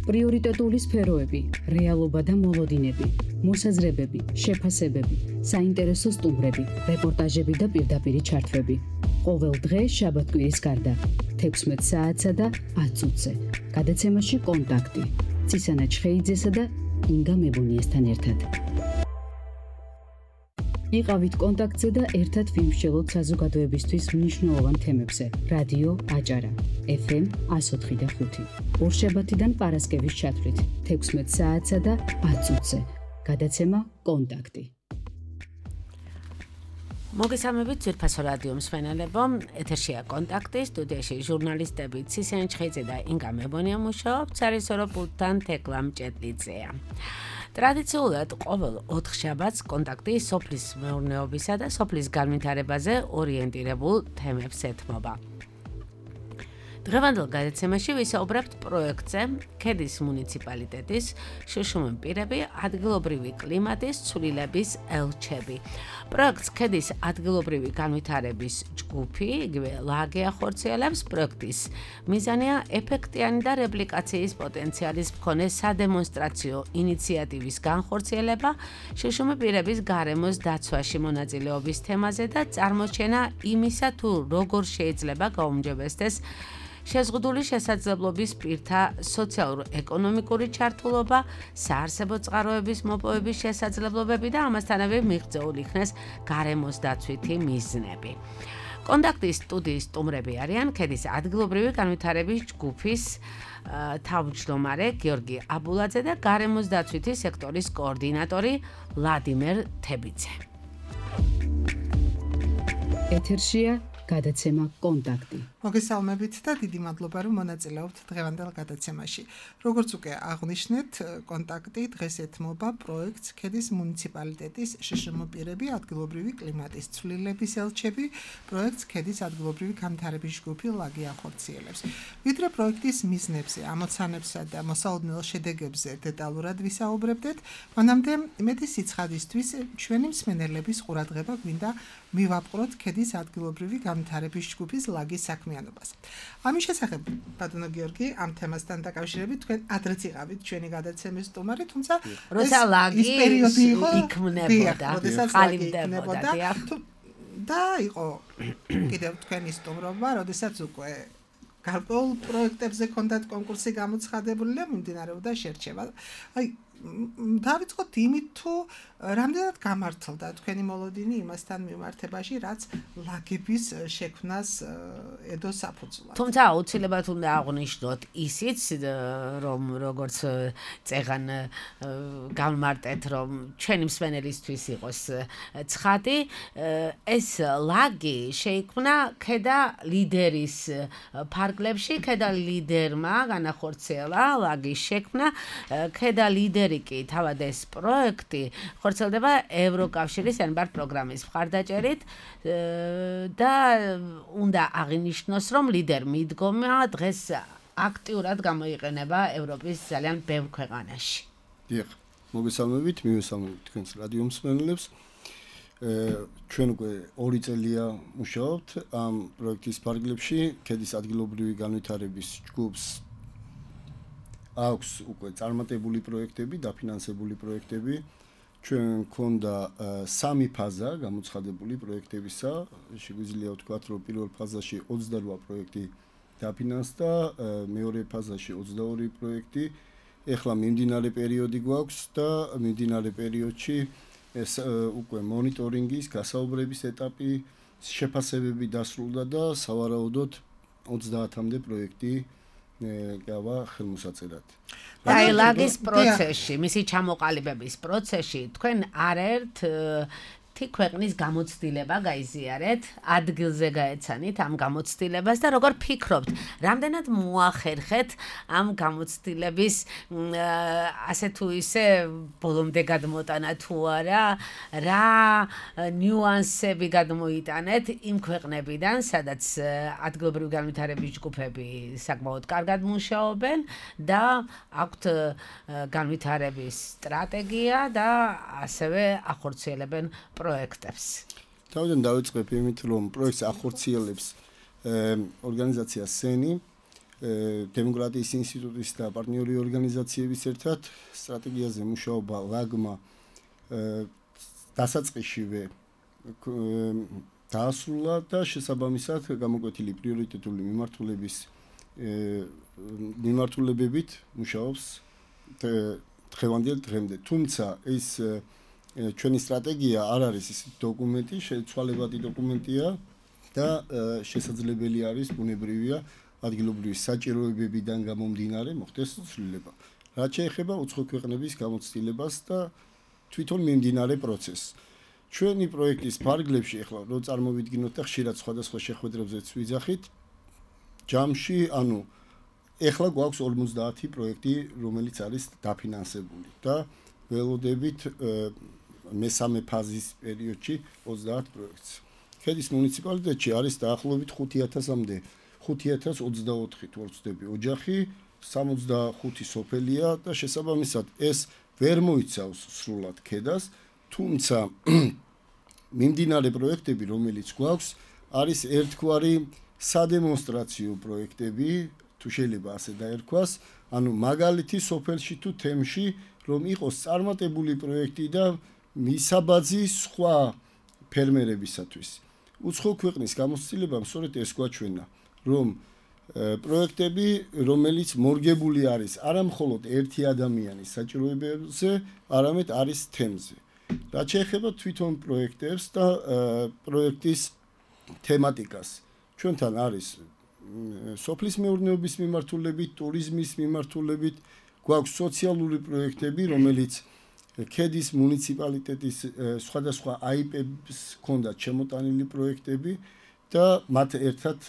პრიორიტეტული სფეროები, რეალობა და მოლოდინები, მოსაზრებები, შეფასებები, საინტერესო სტუმრები, რეპორტაჟები და პირდაპირი ჩართვები. ყოველ დღე შაბათ-კვირის გარდა 16 საათსა და 10 წუთზე. გადაცემაში კონტაქტი. ცისანა ჩხეიძესა და ინგა მებუნიესთან ერთად. იყავით კონტაქტზე და ერთად ვიმსჯელოთ საზოგადოებისთვის მნიშვნელოვან თემებზე. რადიო აჭარა, FM 104.5. ორშაბათიდან პარასკევის ჩათვლით 16 საათსა და 10 წუთზე. გადაცემა კონტაქტი. მოგესალმებით ძვირფასო რადიო მსმენელებო, ეთერშია კონტაქტი, სტუდიაში ჟურნალისტები ცისანა ჩხეიძე და ინგა მებონია მუშაობთ, სარისორო პულტთან თეკლა მჭედლიძეა. ტრადიციულად ყოველ 4 შაბათს კონტაქტი სოფლის მეურნეობისა და სოფლის განვითარებაზე ორიენტირებულ თემებს ეთმობა. დღევანდელ გადაცემაში ვისაუბრებთ პროექტზე ქედის მუნიციპალიტეტის შშმ პირები ადგილობრივი კლიმატის ცვლილების ელჩები. პროექტს ქედის ადგილობრივი განვითარების ჯგუფი, იგივე ლაგე ახორციელებს. პროექტის მიზანია ეფექტიანი და რეპლიკაციის პოტენციალის მქონე სადემონსტრაციო ინიციატივის განხორციელება შშმ პირების გარემოს დაცვაში მონაწილეობის თემაზე და წარმოჩენა იმისა, თუ როგორ შეიძლება გაუმჯობესდეს შეზღუდული შესაძლებლობის პირთა სოციალურ-ეკონომიკური ჩართულობა, საარსებო წყაროების მოპოვების შესაძლებლობები და ამასთანავე მიღწეული იქნეს გარემოს დაცვითი მიზნები. კონტაქტის სტუდიის სტუმრები არიან ქედის ადგილობრივი განვითარების ჯგუფის თავმჯდომარე გიორგი აბულაძე და გარემოს დაცვითი სექტორის კოორდინატორი ვლადიმერ თებიძე. ეთერშია გადაცემა კონტაქტი. მოგესალმებით და დიდი მადლობა რომ მონაწილეობთ დღევანდელ გადაცემაში. როგორც უკვე აღვნიშნეთ, კონტაქტი დღეს ეთმობა პროექტს ქედის მუნიციპალიტეტის შშმ პირები ადგილობრივი კლიმატის ცვლილების ელჩები, პროექტს ქედის ადგილობრივი განვითარების ჯგუფი ლაგი ახორციელებს. ვიდრე პროექტის მიზნებზე, ამოცანებსა და მოსალოდნელ შედეგებზე დეტალურად ვისაუბრებდეთ, მანამდე მეტი სიცხადისთვის ჩვენი მსმენელების ყურადღება გვინდა მივაპყროთ ქედის ადგილობრივი განვითარების ჯგუფის ლაგის საქმიანობას. ამის შესახებ, ბატონო გიორგი, ამ თემასთან დაკავშირებით თქვენ ადრეც იყავით ჩვენი გადაცემის სტუმარი, თუმცა როცა ლაგი პერიოდი იყო იქმნებოდა, ყალიბდებოდა და იყო კიდევ თქვენი სტუმრობა, როდესაც უკვე გარკვეულ პროექტებზე ჰქონდათ კონკურსი გამოცხადებული და მიმდინარეობდა შერჩევა. დავიწყოთ იმით, თუ რამდენად გამართლდა თქვენი მოლოდინი იმასთან მიმართებაში, რაც ლაგების შექმნას ედო საფუძვლად. თუმცა აუცილებლად უნდა აღვნიშნოთ ისიც, რომ როგორც წეღან გამმარტეთ, რომ ჩვენი მსმენელისთვის იყოს ცხადი, ეს ლაგი შეიქმნა ქედა ლიდერის ფარგლებში, ქედა ლიდერმა განახორციელა ლაგის შექმნა, ქედა ლიდერი კი თავად ეს პროექტი ხორციელდება ევროკავშირის ენბარ პროგრამის მხარდაჭერით და უნდა აღინიშნოს, რომ ლიდერ მიდგომა დღეს აქტიურად გამოიყენება ევროპის ძალიან ბევრ ქვეყანაში. დიახ, მოგესალმებით, მივესალმებით თქვენს რადიო მსმენელებს. ჩვენ უკვე 2 წელია მუშაობთ ამ პროექტის ფარგლებში, ქედის ადგილობრივი განვითარების ჯგუფს აქვს უკვე წარმატებული პროექტები, დაფინანსებული პროექტები. ჩვენ მქონდა 3 ფაზა გამოცხადებული პროექტებისა. შეგვიძლია ვთქვათ, რომ პირველ ფაზაში 28 პროექტი დაფინანსდა, მეორე ფაზაში 22 პროექტი. ეხლა მიმდინარე პერიოდი გვაქვს და მიმდინარე პერიოდში ეს უკვე მონიტორინგის, გასაუბრების ეტაპი, შეფასებები დასრულდა და სავარაუდოდ 30-მდე პროექტი გავა ხელმოსაწერად. აი ლაგის პროცესში, მისი ჩამოყალიბების პროცესში თქვენ არაერთ ქვეყნის გამოცდილება გაიზიარეთ, ადგილზე გაეცანით ამ გამოცდილებას და როგორ ფიქრობთ, რამდენად მოახერხეთ ამ გამოცდილების ასე თუ ისე ბოლომდე გადმოტანა თუ არა, რა ნიუანსები გადმოიტანეთ იმ ქვეყნებიდან, სადაც ადგილობრივი განვითარების ჯგუფები საკმაოდ კარგად მუშაობენ და აქვთ განვითარების სტრატეგია და ასევე ახორციელებენ პროექტებს. თავიდან დავიწყებ იმით, რომ პროექტს ახორციელებს ორგანიზაცია სენი, დემოკრატიის ინსტიტუტის და პარტნიორი ორგანიზაციების ერთად სტრატეგიაზე მუშაობა ლაგმა დასაწყისშივე დაასრულა და შესაბამისად გამოკვეთილი პრიორიტეტული მიმართულებებით მუშაობს დღევანდელ დღემდე. თუმცა ეს ჩვენი სტრატეგია არ არის ის დოკუმენტი, შეცვალებადი დოკუმენტია და შესაძლებელი არის ბუნებრივია ადგილობრივი საჭიროებებიდან გამომდინარე მოხდეს ცვლილება. რაც შეეხება უცხო ქვეყნების გამოცდილებას და თვითონ მიმდინარე პროცესს. ჩვენი პროექტის ფარგლებში ახლა რო წარმოვიდგინოთ და ხშირად სხვადასხვა შეხვედრებზეც ვიძახით, ჯამში, ახლა გვაქვს 50 პროექტი, რომელიც არის დაფინანსებული და ველოდებით მესამე ფაზის პერიოდში 30 პროექტს. ქედის მუნიციპალიტეტში არის დაახლოებით 5000-მდე 5024 თუ არ ვცდები ოჯახი, 65 სოფელია და შესაბამისად ეს ვერ მოიცავს სრულად ქედას, თუმცა მიმდინარე პროექტები, რომელიც გვაქვს, არის ერთგვარი სადემონსტრაციო პროექტები, თუ შეიძლება ასე დაერქვას, მაგალითი სოფელში თუ თემში, რომ იყოს წარმატებული პროექტი და მისაბაძი სხვა ფერმერებისათვის. უცხო ქვეყნის გამოცდილებამ სწორედ ეს გვაჩვენა, რომ პროექტები, რომელიც მორგებული არის არა მხოლოდ ერთი ადამიანის საჭიროებებზე, არამედ არის თემზე. რაც შეეხება თვითონ პროექტებს და პროექტის თემატიკას, ჩვენთან არის სოფლის მეურნეობის მიმართულებით, ტურიზმის მიმართულებით, გვაქვს სოციალური პროექტები, რომელიც ქედის მუნიციპალიტეტის სხვადასხვა აიპებს ჰქონდათ შემოტანილი პროექტები და მათ ერთად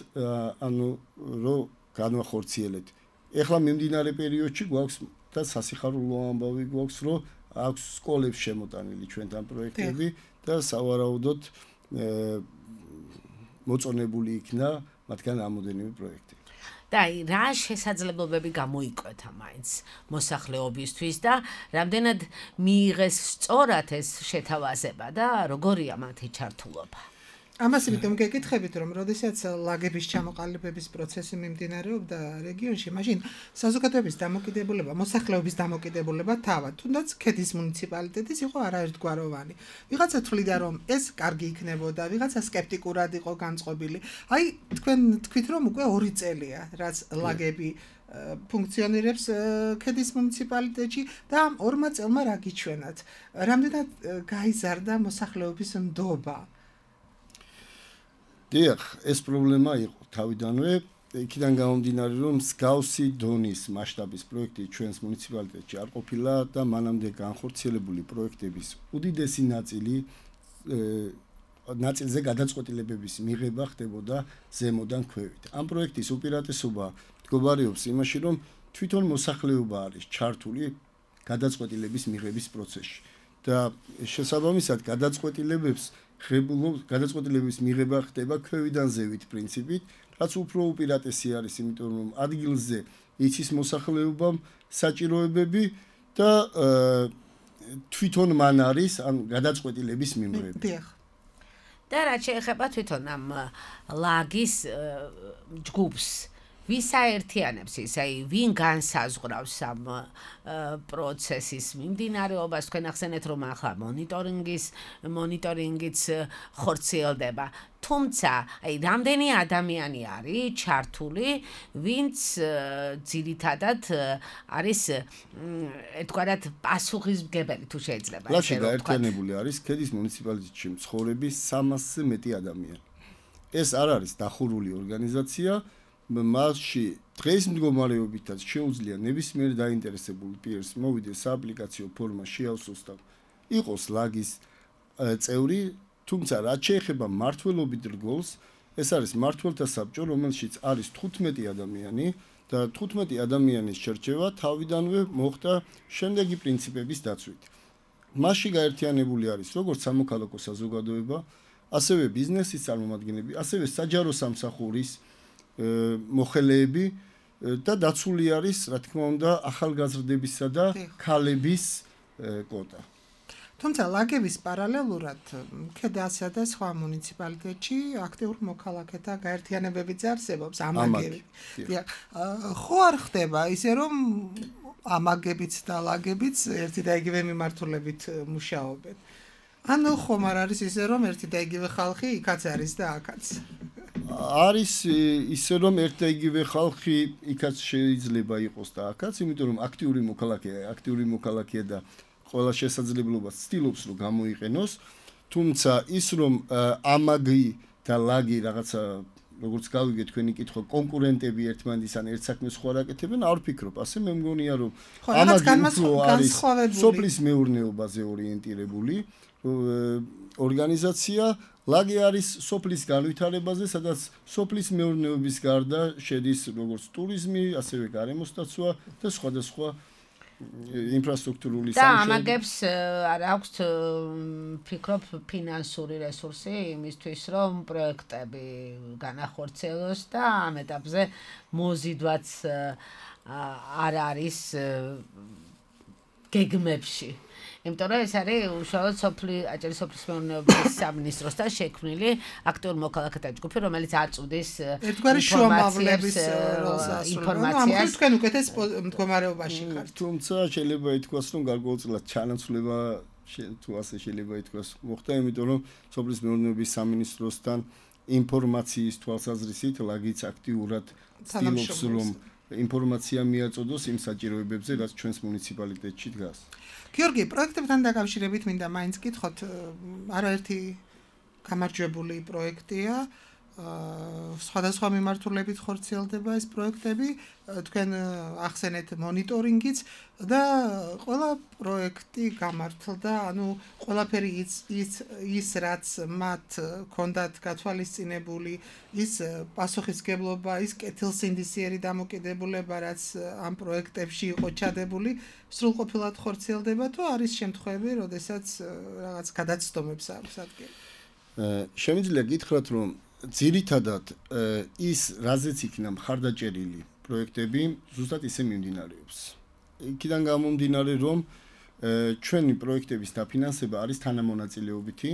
რო განვახორციელეთ. ეხლა მიმდინარე პერიოდში გვაქვს და სასიხარულო ამბავი გვაქვს, რომ აქვს სკოლებს შემოტანილი ჩვენთან პროექტები და სავარაუდოდ მოწონებული იქნა მათგან რამოდენიმე პროექტი. და რა შესაძლებლობები გამოიკვეთა მაინც მოსახლეობისთვის და რამდენად მიიღეს სწორად ეს შეთავაზება და როგორია მათი ჩართულობა? ამას იმიტომ გეკითხებით, რომ როდესაც ლაგების ჩამოყალიბების პროცესი მიმდინარეობდა რეგიონში, მაშინ საზოგადოების დამოკიდებულება, მოსახლეობის დამოკიდებულება თავად, თუნდაც ქედის მუნიციპალიტეტის იყო არაერთგვაროვანი. ვიღაცა თვლიდა, რომ ეს კარგი იქნებოდა, ვიღაცა სკეპტიკურად იყო განწყობილი. თქვენ თქვით, რომ უკვე 2 წელია, რაც ლაგები ფუნქციონირებს ქედის მუნიციპალიტეტში და ამ 2 წელმა რა გიჩვენათ? რამდენად გაიზარდა მოსახლეობის ნდობა? დიახ, ეს პრობლემა იყო თავიდანვე, იქიდან გამომდინარე, რომ მსგავსი დონის მასშტაბის პროექტი ჩვენს მუნიციპალიტეტში არ ყოფილა და მანამდე განხორციელებული პროექტების უდიდესი ნაწილზე გადაწყვეტილებების მიღება ხდებოდა ზემოდან ქვევით. ამ პროექტის უპირატესობა მდგომარეობს იმაში, რომ თვითონ მოსახლეობა არის ჩართული გადაწყვეტილების მიღების პროცესში და შესაბამისად გადაწყვეტილების მიღება ხდება ქვევიდან ზევით პრინციპით, რაც უფრო უპირატესი არის, იმიტომ რომ ადგილზე იცის მოსახლეობამ საჭიროებები და თვითონ მან არის გადაწყვეტილების მიმღები. და რაც შეეხება თვითონ ამ ლაგის ჯგუფს, ვის აერთიანებს ის, ვინ განსაზღვრავს ამ პროცესის მიმდინარეობას? თქვენ ახსენეთ, რომ ახლა მონიტორინგიც ხორციელდება. თუმცა, რამდენი ადამიანი არის ჩართული, ვინც ძირითადად არის ერთგვარად პასუხისმგებელი, თუ შეიძლება ესე ვთქვათ. გაერთიანებული არის ქედის მუნიციპალიტეტში მცხოვრები 300-ზე მეტი ადამიანი. ეს არ არის დახურული ორგანიზაცია. მასში დღეს მდგომარეობითაც შეუძლია ნებისმიერ დაინტერესებულ პირს მოვიდეს სააპლიკაციო ფორმა შეავსოს და იყოს ლაგის წევრი, თუმცა რაც შეეხება მმართველობით რგოლს, ეს არის მმართველთა საბჭო, რომელშიც არის 15 ადამიანი და 15 ადამიანის შერჩევა თავიდანვე მოხდა შემდეგი პრინციპების დაცვით. მასში გაერთიანებული არის როგორც სამოქალაქო საზოგადოება, ასევე ბიზნესის წარმომადგენლები, ასევე საჯარო სამსახურის მოხელეები და დაცული არის, რა თქმა უნდა, ახალგაზრდებისა და ქალების კვოტა. თუმცა ლაგების პარალელურად ქედასა და სხვა მუნიციპალიტეტში აქტიურ მოქალაქეთა გაერთიანებებიც არსებობს ამაგები. ხო არ ხდება ისე რომ ამაგებიც და ლაგებიც ერთი და იგივე მიმართულებით მუშაობენ. ანუ ხომ არ არის ისე რომ ერთი და იგივე ხალხი იქაც არის და აქაც. არის ისე რომ ერთ და იგივე ხალხი იქაც შეიძლება იყოს და აქაც, იმიტომ რომ აქტიური მოქალაქეა და ყველა შესაძლებლობას ცდილობს რომ გამოიყენოს, თუმცა ის რომ ამაგი და ლაგი რაღაცა როგორც გავიგე თქვენი კითხვა კონკურენტები ერთმანეთის ან ერთ საქმეს სხვა რაკეთებენ, არ ვფიქრობ, ასე მე მგონია რომ ამაგი არის სოფლის მეურნეობაზე ორიენტირებული ორგანიზაცია, ლაგი არის სოფლის განვითარებაზე, სადაც სოფლის მეურნეობის გარდა შედის როგორც ტურიზმი, ასევე გარემოსდაცვა და სხვადასხვა ინფრასტრუქტურული სამუშაოები. და ამაგებს არ აქვს ფიქრობ ფინანსური რესურსი იმისთვის რომ პროექტები განახორციელოს და ამ ეტაპზე მოზიდვაც არ არის გეგმებში. იმიტომ რომ ეს არის უშუალოდ აჭარის სოფლის მეურნეობის სამინისტროსთან შექმნილი აქტიურ მოქალაქეთა ჯგუფი, რომელიც აწვდის ერთგვარი შუამავლების როლს ინფორმაციას. ამ თქვენ უკეთეს მდგომარეობაში ხართ. თუმცა შეიძლება ითქვას, რომ გარკვეულწილად ჩანაცვლება თუ ასე შეიძლება ითქვას მოხდა, იმიტომ რომ სოფლის მეურნეობის სამინისტროსთან ინფორმაციის თვალსაზრისით ლაგიც აქტიურად ცდილობს რომ ინფორმაცია მიაწოდოს იმ საჭიროებებზე, რაც ჩვენს მუნიციპალიტეტში დგას. გიორგი, პროექტებთან დაკავშირებით მინდა მაინც გითხოთ, არაერთი გამარჯვებული პროექტია, სხვადასხვა მიმართულებით ხორციელდება ეს პროექტები, თქვენ ახსენეთ მონიტორინგიც და ყველა პროექტი გამართლდა, ანუ ყველაფერი ის რაც მათ ჰქონდათ გათვალისწინებული, ის პასუხისგებლობა, ის კეთილსინდისიერი დამოკიდებულება, რაც ამ პროექტებში იყო ჩადებული, სრულყოფილად ხორციელდება თუ არის შემთხვევები, როდესაც რაღაც გადაცდომებს აქვს ადგილი? შემიძლია გითხრათ, რომ ძირითადად ის რაზეც იქნა მხარდაჭერილი პროექტები ზუსტად ისე მიმდინარეობს. იქიდან გამომდინარე რომ ჩვენი პროექტების დაფინანსება არის თანამონაწილეობითი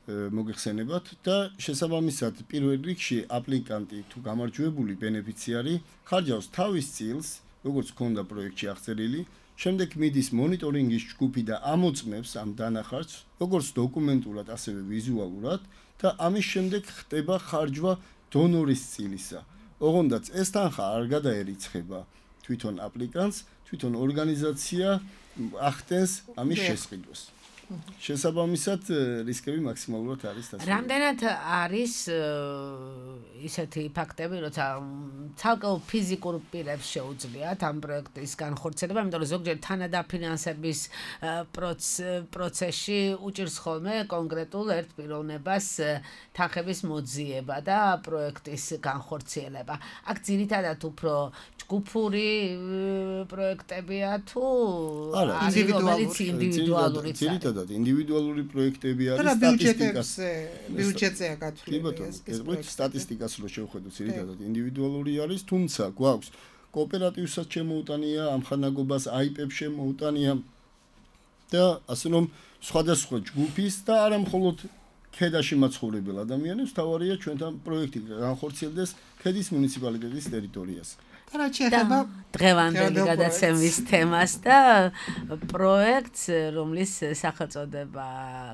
მოგეხსენებათ და შესაბამისად პირველ რიგში აპლიკანტი თუ გამარჯვებული ბენეფიციარი ხარჯავს თავის წილს, როგორც ჰქონდა პროექტში აღწერილი, შემდეგ მიდის მონიტორინგის ჯგუფი და ამოწმებს ამ დანახარჯს, როგორც დოკუმენტურად, ასევე ვიზუალურად და ამის შემდეგ ხდება ხარჯვა დონორის წილისა. ოღონდაც ეს თანხა არ გადაერიცხება თვითონ აპლიკანტს, თვითონ ორგანიზაცია ახდენს ამის შესყიდვას. შესაბამისად რისკები მაქსიმალურად არის დასწრებული. რამდენად არის ისეთი ფაქტები, როცა ცალკეულ ფიზიკურ პირებს შეუძლიათ ამ პროექტის განხორციელება, იმიტომ რომ ზოგჯერ თანადაფინანსების პროცესში უჭირს ხოლმე კონკრეტულ ერთ პიროვნებას თანხების მოძიება და პროექტის განხორციელება. აქ ძირითადად უფრო ჯგუფური პროექტებია თუ ინდივიდუალური ინდივიდუალური პროექტები არის ბიუჯეტზეა გათვლილი ეს სტატისტიკას რო შევხედოთ ძირითადად ინდივიდუალური არის, თუმცა გვაქვს კოოპერატივსაც შემოუტანია, ამხანაგობას აიპებს შემოუტანია და ასე რომ სხვადასხვა ჯგუფის და არა მხოლოდ ქედაში მაცხოვრებელ ადამიანებს თავარია ჩვენთან პროექტი განხორციელდეს ქედის მუნიციპალიტეტის ტერიტორიაზე. დღევანდელი გადაცემის თემას და პროექტს, რომლის სახელწოდება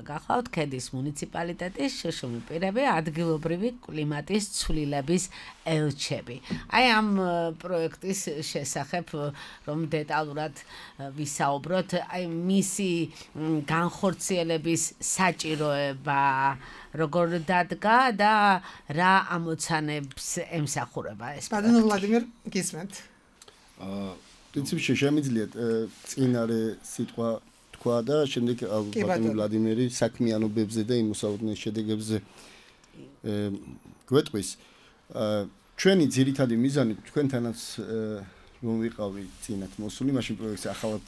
გახლავთ ქედის მუნიციპალიტეტის შეშლილი პირები ადგილობრივი კლიმატის ცვლილების ელჩები. აი ამ პროექტის შესახებ რომ დეტალურად ვისაუბროთ, აი მისი განხორციელების საჭიროება როგორ დადგა და რა ამოცანებს ემსახურება ეს. ბატონო ვლადიმერ, გისმენთ. პრინციპში შემიძლიათ წინარე სიტყვა თქვა და შემდეგ ბატონო ვლადიმერი საქმიანობებზე და იმ მოსალოდნელ შედეგებზე გვეტყვის. ჩვენი ძირითადი მიზანი თქვენთანაც რომ ვიყავი წინათ მოსული, მაშინ პროექტს ახალად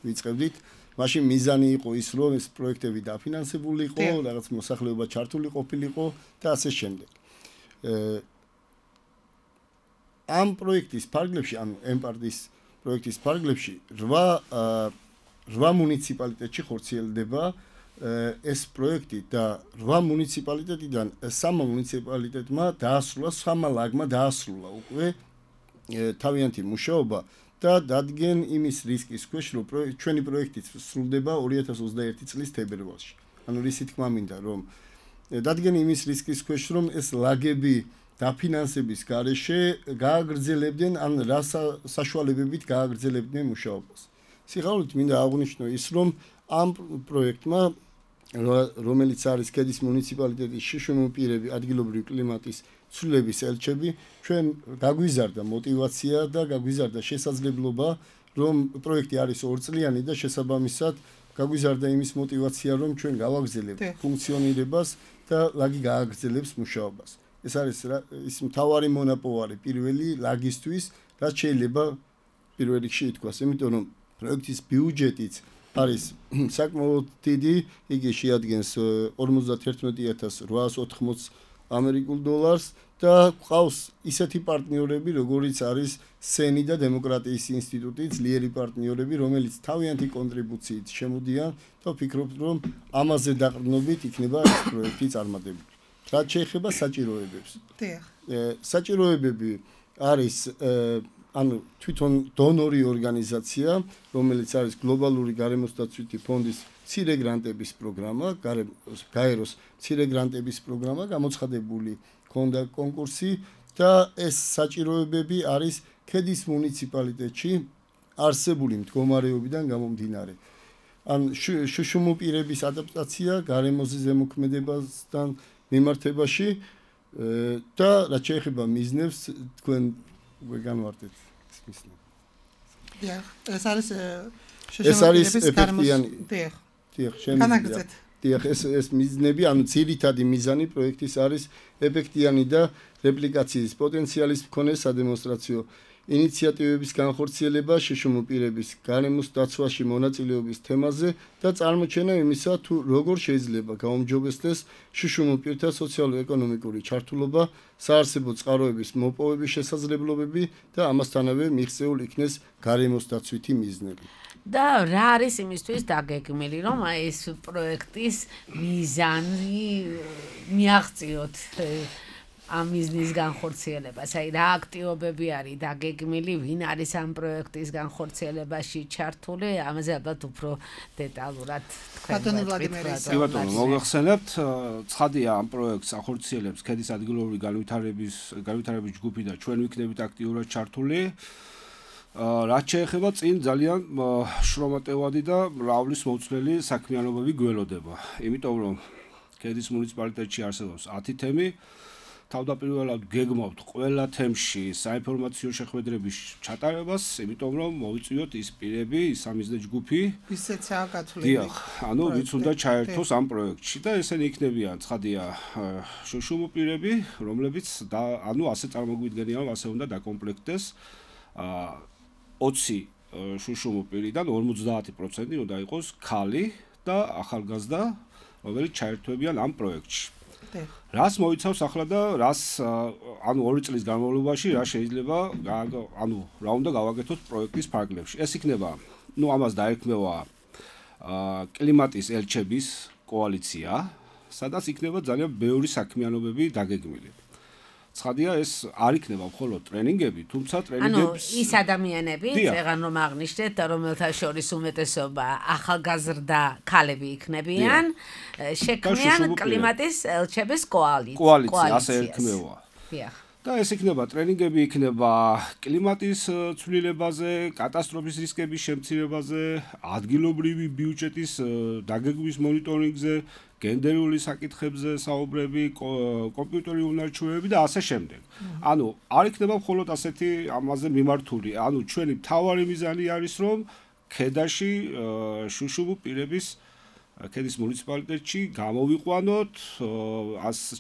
ვიწყებდით. მაშინ მიზანი იყო ის, რომ ეს პროექტები დაფინანსებული იყო, რაღაც მოსახლეობა ჩართული ყოფილიყო და ასე შემდეგ. ამ პროექტის ფარგლებში, ანუ ემპარდის პროექტის ფარგლებში 8 მუნიციპალიტეტში ხორციელდება ეს პროექტი და 8 მუნიციპალიტეტიდან 3 მუნიციპალიტეტმა დაასრულა, 3 ლაგმა დაასრულა უკვე თავიანთი მუშაობა და დადგენ იმის რისკის ქვეშ, რომ ჩვენი პროექტი სრულდება 2021 წლის თებერვალში. ანუ რისი თქმა მინდა, რომ დადგენ იმის რისკის ქვეშ, რომ ეს ლაგები დაფინანსების გარეშე გააგრძელებდნენ ან რა საშუალებებით გააგრძელებდნენ მუშაობას. სიხარულით მინდა აღვნიშნო ის, რომ ამ პროექტმა, რომელიც არის ქედის მუნიციპალიტეტის შშმ პირები, ადგილობრივი კლიმატის ცვლილების ელჩები, ჩვენ გაგვიზარდა мотиваცია და გაგვიზარდა შესაძლებლობა, რომ პროექტი არის 2 წლიანი და შესაბამისად გაგვიზარდა იმის мотиваცია, რომ ჩვენ გავაგრძელებთ ფუნქციონირებას და ლაგი გააგრძელებს მუშაობას. ეს არის ის მთავარი მონაპოვარი პირველი ლაგისთვის, რაც შეიძლება პირველ რიგში ითქვას, იმიტომ რომ პროექტის ბიუჯეტიც არის საკმაოდ დიდი, იგი შეადგენს 51,880 ამერიკულ დოლარს და ყავს ისეთი პარტნიორები, როგორიც არის სენი და დემოკრატიის ინსტიტუტი, ძლიერი პარტნიორები, რომელიც თავიანთი კონტრიბუციით შემოდიან და ვფიქრობთ, რომ ამაზე დაყრდნობით იქნება ეს პროექტი წარმატებული. რაც შეეხება საჭიროებებს. საჭიროებები არის ანუ თვითონ დონორი ორგანიზაცია, რომელიც არის გლობალური გარემოსდაცვითი ფონდის მცირე გრანტების პროგრამა, გაეროს მცირე გრანტების პროგრამა, გამოცხადებული ქონდა კონკურსი და ეს საჭიროებები არის ქედის მუნიციპალიტეტში არსებული მდგომარეობიდან გამომდინარე. ან შშმ პირების ადაპტაცია გარემოზე ზემოქმედებასთან მიმართებაში და რაც შეეხება მიზნებს, თქვენ უკვე განვარტეთ ეს მიზნები. ეს არის ეფექტიანი. ეს მიზნები, ანუ ძირითადი მიზანი პროექტის არის ეფექტიანი და რეპლიკაციის პოტენციალის მქონე სადემონსტრაციო ინიციატივების განხორციელება შშმ პირების გარემოს დაცვაში მონაწილეობის თემაზე და წარმოჩენა იმისა, თუ როგორ შეიძლება გაუმჯობესდეს შშმ პირთა სოციალურ-ეკონომიკური ჩართულობა, საარსებო წყაროების მოპოვების შესაძლებლობები და ამასთანავე მიღწეულ იქნეს გარემოს დაცვითი მიზნები. და რა არის იმისთვის დაგეგმილი, რომ ეს პროექტის მიზანი მიაღწიოთ ამ მიზნის განხორციელებას? აი რა აქტივობები არის დაგეგმილი, ვინ არის ამ პროექტის განხორციელებაში ჩართული? ამაზე ალბათ უფრო დეტალურად ბატონი ვლადიმერი. ბატონო, მოგახსენებთ, ცხადია ამ პროექტს ახორციელებს ქედის ადგილობრივი განვითარების ჯგუფი და ჩვენ ვიქნებით აქტიურად ჩართული. რაც შეეხება წინ ძალიან შრომატევადი და მრავლის მოცვლელი საქმიანობები გველოდება. იმიტომ რომ ქედის მუნიციპალიტეტში არსებობს 10 თემი, თავდაპირველად გეგმავთ ყველა თემში საინფორმაციო შეხვედრების ჩატარებას, იმიტომ რომ მოვიწვიოთ ის პირები, ის სამიზნე ჯგუფი, ვისეცაა გათვლილი. დიახ, ანუ ვიც უნდა ჩაერთოს ამ პროექტში და ესენი იქნებიან ცხადია შშმ პირები, რომლებიც ანუ ასე წარმოგვიდგენია, რომ ასე უნდა დაკომპლექტდეს 20 შშმ პირიდან 50% უნდა იყოს ქალი და ახალგაზრდა, რომელიც ჩაერთვებიან ამ პროექტში. რას მოიცავს ახლა და რას ანუ 2 წლის განმავლობაში რა შეიძლება ანუ რა უნდა გავაკეთოთ პროექტის ფარგლებში. ეს იქნება, ამას დაერქმევა კლიმატის ელჩების კოალიცია, სადაც იქნება ძალიან ბევრი საქმიანობები დაგეგმილი. ცხადია, ეს არ იქნება მხოლოდ ტრენინგები, თუმცა ტრენინგებს ის ადამიანები, წეგან რომ აღნიშნეთ, რომელთა შორის უმეტესობა ახალგაზრდა ქალები იქნებიან, შექმნიან კლიმატის ელჩების კოალიცია, ასე ერქმევა. და ეს იქნება ტრენინგები, იქნება კლიმატის ცვლილებაზე, კატასტროფის რისკების შემცირებაზე, ადგილობრივი ბიუჯეტის დაგეგმვის მონიტორინგზე, გენდერული საკითხებზე საუბრები, კომპიუტერული უნარჩვევები და ასე შემდეგ. ანუ არ იქნება მხოლოდ ასეთი ამაზე მიმართული. ანუ ჩვენი მთავარი მიზანი არის, რომ ქედაში შშმ პირების ქედის მუნიციპალიტეტში გამოვიყვანოთ,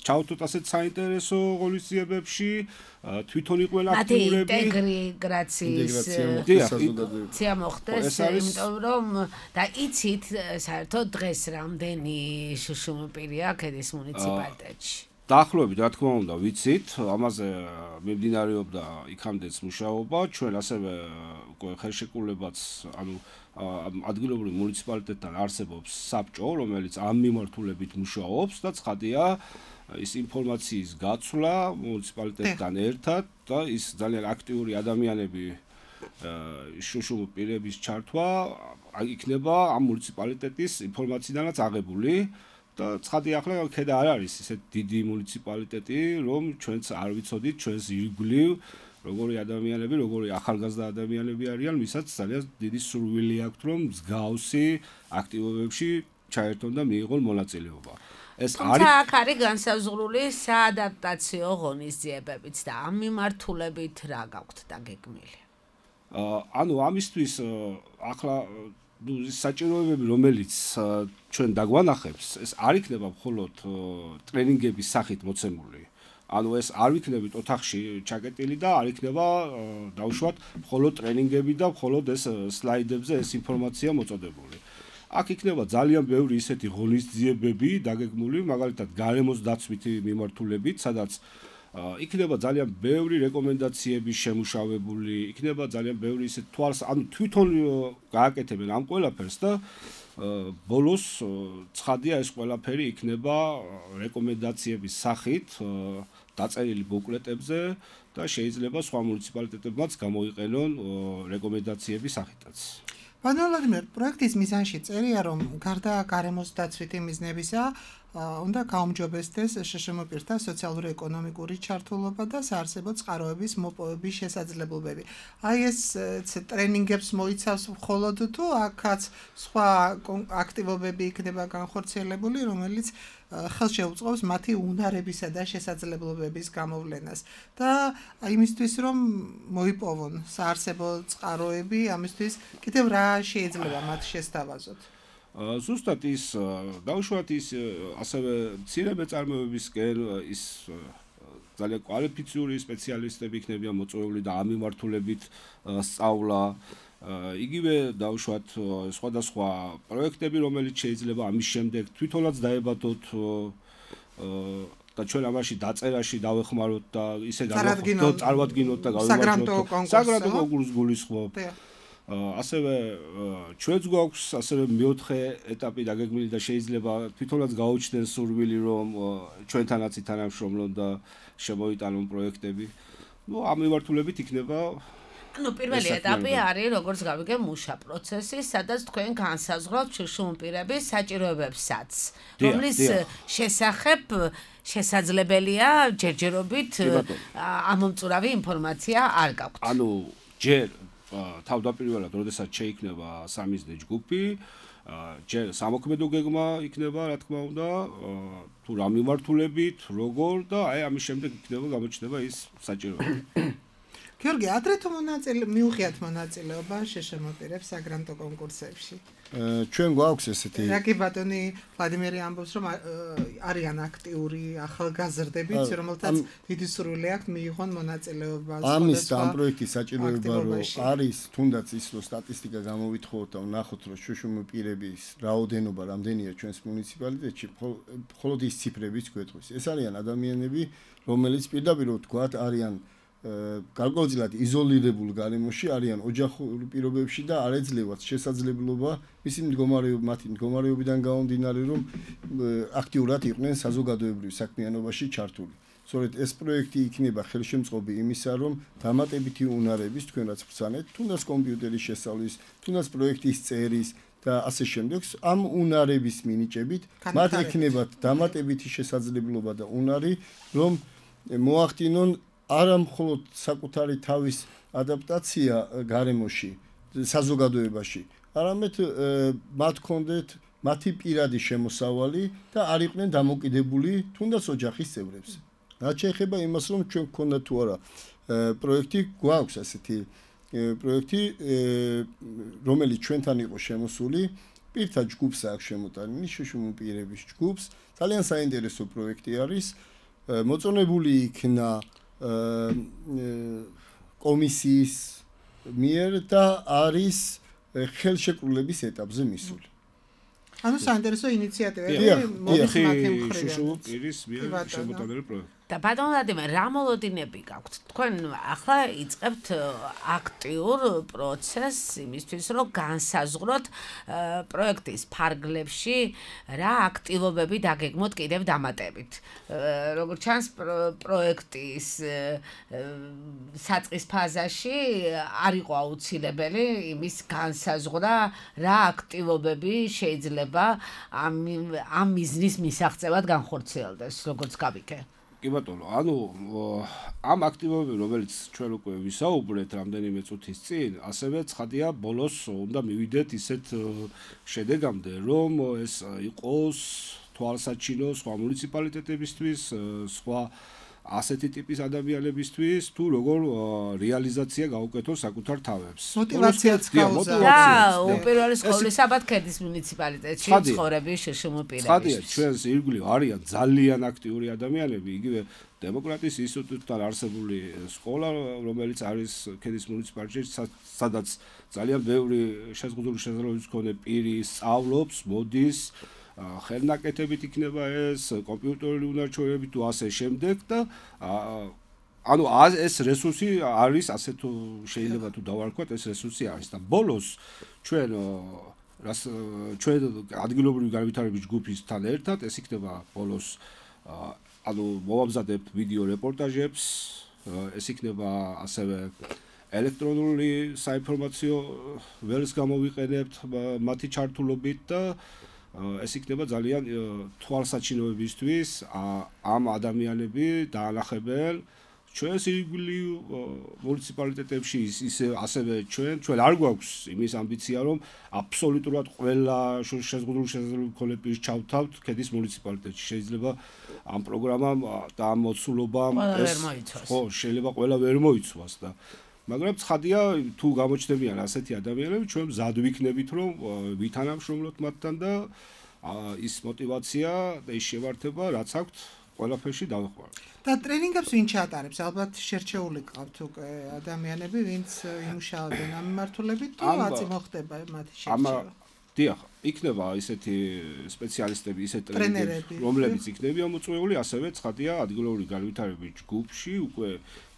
ჩავთოთ ასეთ საინტერესო ღონისძიებებში, თვითონ იყვნენ აქტიურები. ინტეგრაცია მოხდეს, იმიტომ რომ და იცით საერთოდ დღეს რამდენი შშმ პირია ქედის მუნიციპალიტეტში. დაახლოებით რა თქმა უნდა ვიცით, ამაზე მიმდინარეობდა იქამდეც მუშაობა, ჩვენ ასევე უკვე ხელშეკრულებაც, ანუ ადგილობრივ მუნიციპალიტეტთან არსებობს საბჭო, რომელიც ამ მიმართულებით მუშაობს და ცხადია ის ინფორმაციის გაცვლა მუნიციპალიტეტთან ერთად და ის ძალიან აქტიური ადამიანები შუშუმ პირების ჩართვა იქნება ამ მუნიციპალიტეტის ინფორმაციიდანაც აღებული და ცხადია ახლა ქედა არ არის ისეთ დიდი მუნიციპალიტეტი, რომ ჩვენც არ ვიცოდით ჩვენს ირგვლივ როგორი ადამიანები, როგორი ახალგაზრდა ადამიანები არიან, ვისაც ძალიან დიდი სურვილი აქვთ, რომ მსგავსი აქტივობებში ჩაერთონ და მიიღონ მონაწილეობა. ეს არის აქ არის განსაზღვრული საადაპტაციო ღონისძიებებიც და ამ მიმართულებით რა გაქვთ დაგეგმილი? ანუ ამისთვის ახლა საჭიროებები, რომელიც ჩვენ დაგვანახებს, ეს არ იქნება მხოლოდ ტრენინგების სახით მოცემული. ანუ ეს არ ვიქნებით ოთახში ჩაკეტილი და არ იქნება დავუშვათ მხოლოდ ტრენინგები და მხოლოდ ეს სლაიდებზე ეს ინფორმაცია მოწოდებული. აქ იქნება ძალიან ბევრი ისეთი ღონისძიებები დაგეგმული, მაგალითად გარემოს დაცვითი მიმართულებით, სადაც იქნება ძალიან ბევრი რეკომენდაციები შემუშავებული, იქნება ძალიან ბევრი ისეთ ანუ თვითონ გააკეთებენ ამ ყველაფერს და ბოლოს ცხადია ეს ყველაფერი იქნება რეკომენდაციების სახით დაწერილი ბუკლეტებზე და შეიძლება სხვა მუნიციპალიტეტებმაც გამოიყენონ რეკომენდაციების სახითაც. Pán Vladimír, პროექტის მიზანში წერია, რომ გარდა გარემოს დაცვითი მიზნებისა, უნდა გაუმჯობესდეს შშმ პირთა სოციალურ-ეკონომიკური ჩართულობა და საარსებო წყაროების მოპოვების შესაძლებლობები. Აი ეს ტრენინგებს მოიცავს მხოლოდ თუ აქაც სხვა აქტივობები იქნება განხორციელებული, რომელიც ხელშეუწყობს მათი უნარებისა და შესაძლებლობების გამოვლენას და იმისთვის რომ მოიპოვონ საარსებო წყაროები, ამისთვის კიდევ რა შეიძლება მათ შესთავაზოთ? ზუსტად ის დავუშვათ ის ასევე მცირე მეწარმეებისკენ ის ძალიან კვალიფიციური სპეციალისტები იქნებიან მოწვეული და ამ მიმართულებით სწავლა იგივე დავუშვათ სხვადასხვა პროექტები, რომელიც შეიძლება ამის შემდეგ თვითონაც დაებადოთ და ჩვენ ამაში დაწერაში დავეხმაროთ და ისე წარვადგინოთ და გავიმარჯვოთ საგრანტო კონკურსს გულისხმობ. ასევე ჩვენც გვაქვს ასევე მეოთხე ეტაპი დაგეგმილი და შეიძლება თვითონაც გაუჩნდეს სურვილი რომ ჩვენთანაც ითანამშრომლონ და შემოიტანონ პროექტები. ამ მიმართულებით იქნება პირველი ეტაპი არის როგორც გავიგე მუშა პროცესი, სადაც თქვენ განსაზღვრავთ შშმ პირების საჭიროებებსაც, რომლის შესახებ შესაძლებელია ჯერჯერობით ამომწურავი ინფორმაცია არ გაქვთ. ანუ ჯერ თავდაპირველად, როდესაც შეიქმნება სამიზნე ჯგუფი, ჯერ სამოქმედო გეგმა იქნება, რა თქმა უნდა, თუ რა მიმართულებით, როგორ და აი ამის შემდეგ იქნება გამოჩნდება ის საჭიროება. გიორგი, ადრე თუ მიუღიათ მონაწილეობა შშმ პირებს საგრანტო კონკურსებში? ჩვენ გვაქვს ესეთი. რაკი ბატონი ვლადიმერი ამბობს, რომ არიან აქტიური ახალგაზრდებიც, რომელთაც დიდი სურვილი აქვს მიიღონ მონაწილეობა. ამის და ამ პროექტის საჭიროება რომ არის, თუნდაც ის რომ სტატისტიკა გამოვითხოვოთ და ვნახოთ, რომ შშმ პირების რაოდენობა რამდენია ჩვენს მუნიციპალიტეტში, მხოლოდ ის ციფრებიც გვეტყვის. ეს არიან ადამიანები, რომელიც პირდაპირ ვთქვათ, არიან გარკვეულწილად იზოლირებულ გარემოში, არიან ოჯახურ პირობებში და არ ეძლევათ შესაძლებლობა მისი მათი მდგომარეობიდან გამომდინარე, რომ აქტიურად იყვნენ საზოგადოებრივ საქმიანობაში ჩართული. სწორედ ეს პროექტი იქნება ხელშემწყობი იმისა, რომ დამატებითი უნარების თქვენ რაც ბრძანეთ, თუნდაც კომპიუტერის შესწავლის, თუნდაც პროექტის წერის და ასე შემდეგ, ამ უნარების მინიჭებით მათ ექნებათ დამატებითი შესაძლებლობა და უნარი, რომ მოახდინონ არა მხოლოდ საკუთარი თავის ადაპტაცია გარემოში, საზოგადოებაში, არამედ მათ ჰქონდეთ მათი პირადი შემოსავალი და არ იყვნენ დამოკიდებული თუნდაც ოჯახის წევრებს. რაც შეეხება იმას, რომ ჩვენ გქონდა თუ არა პროექტი, გვაქვს ასეთი პროექტი, რომელიც ჩვენთან იყო შემოსული, პირთა ჯგუფს აქვს შემოტანილი, შშმ პირების ჯგუფს, ძალიან საინტერესო პროექტი არის, მოწონებული იქნა კომისიის მიერ და არის ხელშეკრულების ეტაპზე მისული. ანუ საინტერესო ინიციატივები მოდის მათი მხრიდან. შუშუპირის მიერ შემოტანილი პროექტი. და ბატონ ვლადიმერ, რა მოლოდინები გაქვთ? თქვენ ახლა იწყებთ აქტიურ პროცესს იმისთვის, რომ განსაზღვროთ პროექტის ფარგლებში რა აქტივობები დაგეგმოთ კიდევ დამატებით. როგორც ჩანს, პროექტის საწყის ფაზაში არ იყო აუცილებელი იმის განსაზღვრა, რა აქტივობები შეიძლება ამ მიზნის მისაღწევად განხორციელდეს, როგორც გავიქე. კი ბატონო, ანუ ამ აქტივობები, რომელიც ჩვენ უკვე ვისაუბრეთ რამდენიმე წუთის წინ, ასევე ცხადია, ბოლოს უნდა მივიდეთ ისეთ შედეგამდე, რომ ეს იყოს თვალსაჩინო სხვა მუნიციპალიტეტებისთვის, სხვა ასეთი ტიპის ადამიანებისთვის, თუ როგორ რეალიზაცია გაუკეთოს საკუთარ თავებს. მოტივაციაც გაუზარდა. და უპირველეს ყოვლისაბად ქედის მუნიციპალიტეტში ცხოვრები შშმ-პირების. ცხადია, ჩვენს ირგვლივ არიან ძალიან აქტიური ადამიანები, იგივე დემოკრატიის ინსტიტუტთან არსებული სკოლა, რომელიც არის ქედის მუნიციპალიტეტში, სადაც ძალიან ბევრი შეზღუდული შესაძლებლობის მქონე პირი სწავლობს, მოდის, ხელნაკეთებით იქნება ეს, კომპიუტერული უნარჩვევები თუ ასე შემდეგ და ანუ ეს რესურსი არის, ასე თუ შეიძლება თუ დავარქვათ, ეს რესურსი არის და ბოლოს ჩვენ ადგილობრივი განვითარების ჯგუფისთან ერთად ეს იქნება ბოლოს ანუ მოვამზადებთ ვიდეო რეპორტაჟებს, ეს იქნება ასევე ელექტრონული საინფორმაციო ველს გამოვიყენებთ მათი ჩართულობით და ეს იქნება ძალიან თვალსაჩინოებისთვის ამ ადამიანები დაანახებენ ჩვენს ირგვლივ მუნიციპალიტეტებში ისე ასევე ჩვენ არ გვაქვს იმის ამბიცია რომ აბსოლუტურად ყველა შეზღუდული შესაძლებლობები მქონე პირს ჩავთავთ ქედის მუნიციპალიტეტში შეიძლება ამ პროგრამამ და ამ მოცულობამ ეს ხო შეიძლება ყველა ვერ მოიცვას და მაგრამ ცხადია თუ გამოჩნდებიან ასეთი ადამიანები ჩვენ მზად ვიქნებით რომ ვითანამშრომლოთ მათთან და ის мотиваცია და ის შევართება რაც აქვთ ყველაფერში დავხმაროთ. და ტრენინგებს ვინ ჩაატარებს? ალბათ შერჩეული ყავთ უკვე ადამიანები, ვინც იმუშავებენ ამ მიმართულებით თუ აწი მოხდება მათი შერჩევა? დიახ, იქნება ისეთი სპეციალისტები, ისეთი ტრენერები, რომლებიც იქნებიან მოწვეული, ასევე ცხადია ადგილობრივი განვითარების ჯგუფში უკვე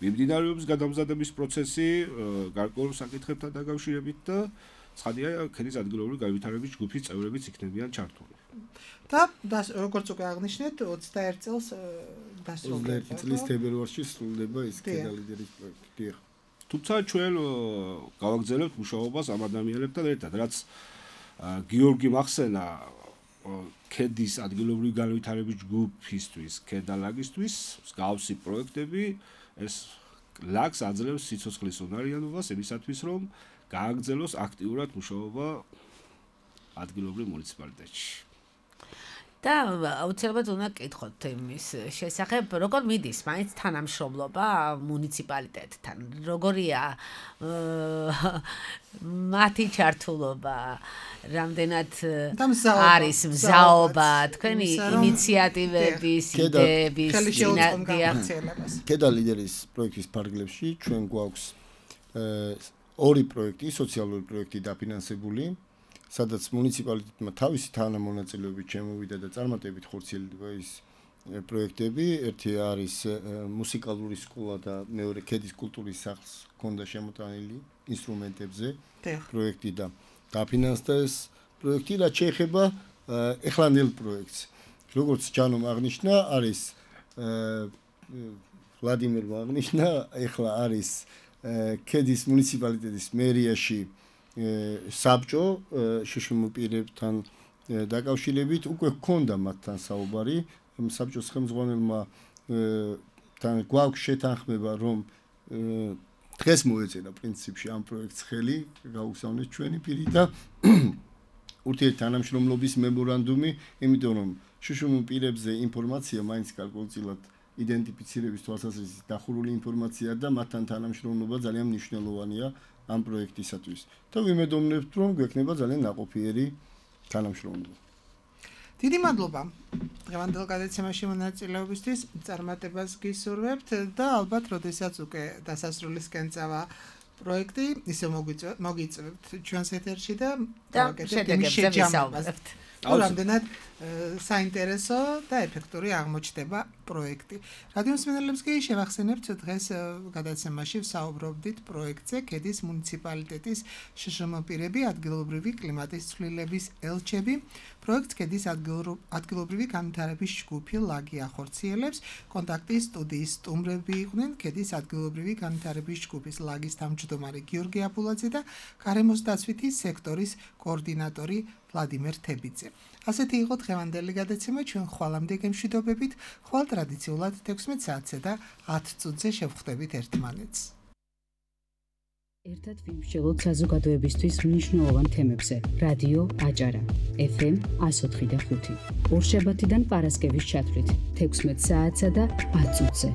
მიმდინარეობს გადამზადების პროცესი გარკვეულ საკითხებთან დაკავშირებით და ცხადია ქედის ადგილობრივი განვითარების ჯგუფის წევრებიც იქნებიან ჩართული. და როგორც უკვე აღნიშნეთ 21 წელს დასრულდება. 21 წლის თებერვალში სრულდება ის ქედა ლიდერის პროექტი. დიახ. თუმცა ჩვენ გავაგრძელებთ მუშაობას ამ ადამიანებთან ერთად, რაც გიორგი მახსენა ქედის ადგილობრივი განვითარების ჯგუფისთვის, ქედალაგისთვის, მსგავსი პროექტები ეს ლაგს აძლევს სიცოცხლის უნარიანობას იმისათვის, რომ გააგრძელოს აქტიურად მუშაობა ადგილობრივ მუნიციპალიტეტში. და აუცილებლად უნდა გკითხოთ იმის შესახებ, როგორ მიდის მაინც თანამშრომლობა მუნიციპალიტეტთან, როგორია მათი ჩართულობა, რამდენად არის მზაობა თქვენი ინიციატივების, იდეების, ქედა ლიდერის პროექტის ფარგლებში ჩვენ გვაქვს ორი პროექტი, სოციალური პროექტი დაფინანსებული, სადაც მუნიციპალიტეტმა თავისი თანამონაწილეობით შემოვიდა და წარმატებით ხორციელდება ის პროექტები. ერთი არის მუსიკალური სკოლა და მეორე ქედის კულტურის სახლს ჰქონდა შემოტანილი ინსტრუმენტებზე პროექტი და დაფინანსდა ეს პროექტი, რაც შეეხება ეხლანელ პროექტს. როგორც ჯანომ აღნიშნა, არის ვლადიმერმა აღნიშნა, ეხლა არის ქედის მუნიციპალიტეტის მერიაში საბჭო შშმ-პირებთან დაკავშირებით უკვე ჰქონდა მათთან საუბარი საბჭოს ხელმძღვანელმა თან გვაქვს შეთანხმება რომ დღეს მოეწერა პრინციპში ამ პროექტს ხელი გაუგზავნეს ჩვენი პირი და ურთიერთთანამშრომლობის მემორანდუმი იმიტომ რომ შშმ-პირებზე ინფორმაცია მაინც გარკვეულწილად იდენტიფიცირების თვალსაზრისით დახურული ინფორმაცია და მათთან თანამშრომლობა ძალიან მნიშვნელოვანია ამ პროექტისათვის. და ვიმედოვნებთ, რომ გვექნება ძალიან ნაყოფიერი თანამშრომლობა. დიდი მადლობა დღევანდელ გადაცემაში მონაწილეობისთვის, წარმატებას გისურვებთ და ალბათ, როდესაც უკვე დასასრულისკენ წავა პროექტი, ისე მოგიწევთ ჩვენს ეთერში და შედეგებზე ვისაუბრებთ. რამდენად საინტერესო და ეფექტური აღმოჩნდება პროექტი. რადიო მსმენელებს კი შევახსენებთ დღეს გადაცემაში ვსაუბრობდით პროექტზე ქედის მუნიციპალიტეტის შშმ პირები ადგილობრივი კლიმატის ცვლილების ელჩები. პროექტს ქედის ადგილობრივი განვითარების ჯგუფი ლაგი ახორციელებს. კონტაქტის სტუდიის სტუმრები იყვნენ ქედის ადგილობრივი განვითარების ჯგუფის ლაგის თავმჯდომარე გიორგი აბულაძე და გარემოს დაცვითი სექტორის კოორდინატორი ვლადიმერ თებიძე. ასეთი იყო დღევანდელი გადაცემა, ჩვენ ხვალამდე გემშვიდობებით, ხვალ ტრადიციულად 16 საათზე და 10 წუთზე შევხვდებით ერთმანეთს. ერთად ვიმსჯელოთ საზოგადოებისთვის მნიშვნელოვან თემებზე. რადიო აჭარა, FM 104.5. ორშაბათიდან პარასკევის ჩათვლით 16 საათსა და 10 წუთზე.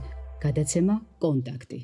გადაცემა კონტაქტი.